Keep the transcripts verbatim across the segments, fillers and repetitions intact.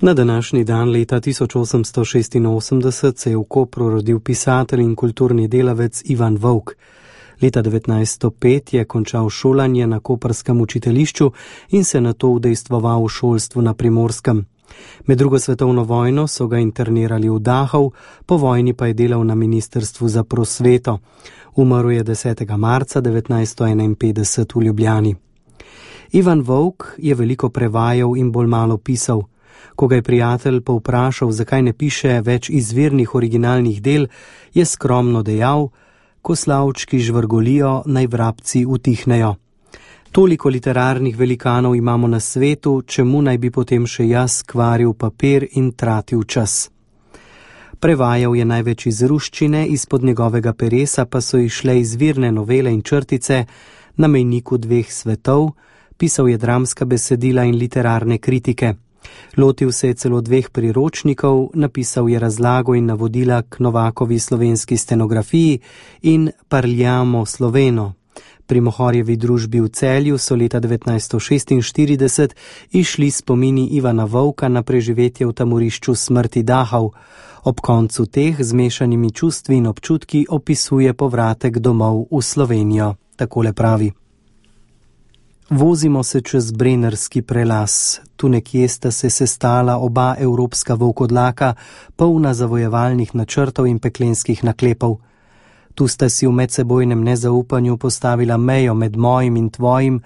Na današnji dan leta tisoč osemsto šestinosemdeset se je v Kopru rodil pisatelj in kulturni delavec Ivan Vovk. Leta devetnajststo pet je končal šolanje na koprskem učiteljišču in se nato udejstvoval v šolstvu na Primorskem. Med drugo svetovno vojno so ga internirali v Dachau, po vojni pa je delal na Ministrstvu za prosveto. Umrl je desetega marca devetnajststo enainpetdeset v Ljubljani. Ivan Vovk je veliko prevajal in bolj malo pisal. Ko ga je prijatelj povprašal, zakaj ne piše več izvirnih originalnih del, je skromno dejal: ko slavčki žvrgolijo, naj vrabci utihnejo. Toliko literarnih velikanov imamo na svetu, čemu naj bi potem še jaz kvaril papir in tratil čas. Prevajal je največ iz ruščine, izpod njegovega peresa pa so išle izvirne novele in črtice Na mejniku dveh svetov, pisal je dramska besedila in literarne kritike. Lotil se je celo dveh priročnikov, napisal je razlago in navodila k Novakovi slovenski stenografiji in Parliamo sloveno. Pri Mohorjevi družbi v Celju so leta devetnajststo šestinštirideset išli spomini Ivana Vovka na preživetje v tamorišču smrti Dachau. Ob koncu teh z mešanimi čustvi in občutki opisuje povratek domov v Slovenijo. Takole pravi: Vozimo se čez Brennerski prelaz. Tu nekje sta se sestala oba evropska volkodlaka, polna zavojevalnih načrtov in peklenskih naklepov. Tu sta si v medsebojnem nezaupanju postavila mejo med mojim in tvojim,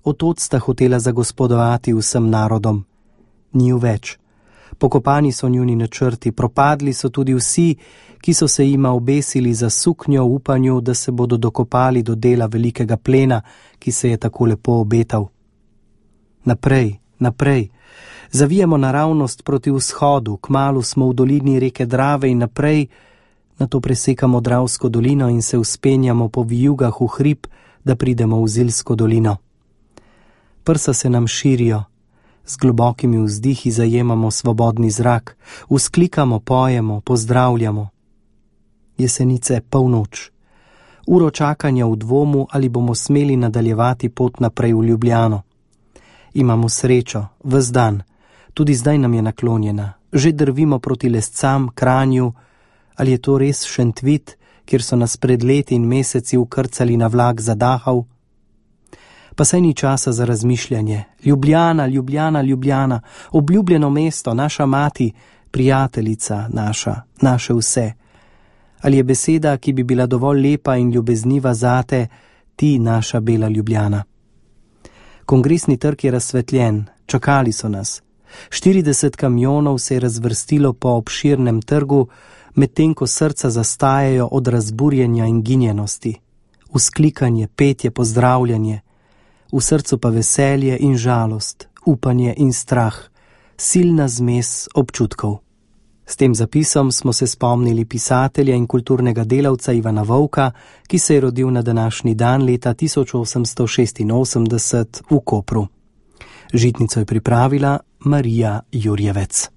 otod sta hotela zagospodovati vsem narodom. Ni ju več. Pokopani so njuni načrti, propadli so tudi vsi, ki so se jima obesili za suknjo v upanju, da se bodo dokopali do dela velikega plena, ki se je tako lepo obetal. Naprej, naprej. Zavijemo naravnost proti vzhodu, kmalu smo v dolini reke Drave in naprej, nato presekamo Dravsko dolino in se vzpenjamo po vijugah v hrib, da pridemo v Zilsko dolino. Prsa se nam širijo, z globokimi vzdihi zajemamo svobodni zrak, vzklikamo, pojemo, pozdravljamo. Jesenice, polnoč. Uro čakanja v dvomu, ali bomo smeli nadaljevati pot naprej v Ljubljano. Imamo srečo, ves dan, tudi zdaj nam je naklonjena. Že drvimo proti Lescam, Kranju. Ali je to res Šentvit, kjer so nas pred leti in meseci ukrcali na vlak za Dachau? Pa saj ni časa za razmišljanje. Ljubljana, Ljubljana, Ljubljana, obljubljeno mesto, naša mati, prijateljica naša, naše vse. Ali je beseda, ki bi bila dovolj lepa in ljubezniva zate, ti naša bela Ljubljana? Kongresni trg je razsvetljen, čakali so nas. štirideset kamionov se je razvrstilo po obširnem trgu, medtem ko srca zastajajo od razburjenja in ginjenosti. Vzklikanje, petje, pozdravljanje. V srcu pa veselje in žalost, upanje in strah, silna zmes občutkov. S tem zapisom smo se spomnili pisatelja in kulturnega delavca Ivana Vovka, ki se je rodil na današnji dan leta tisoč osemsto šestinosemdeset v Kopru. Žitnico je pripravila Marija Jurjevec.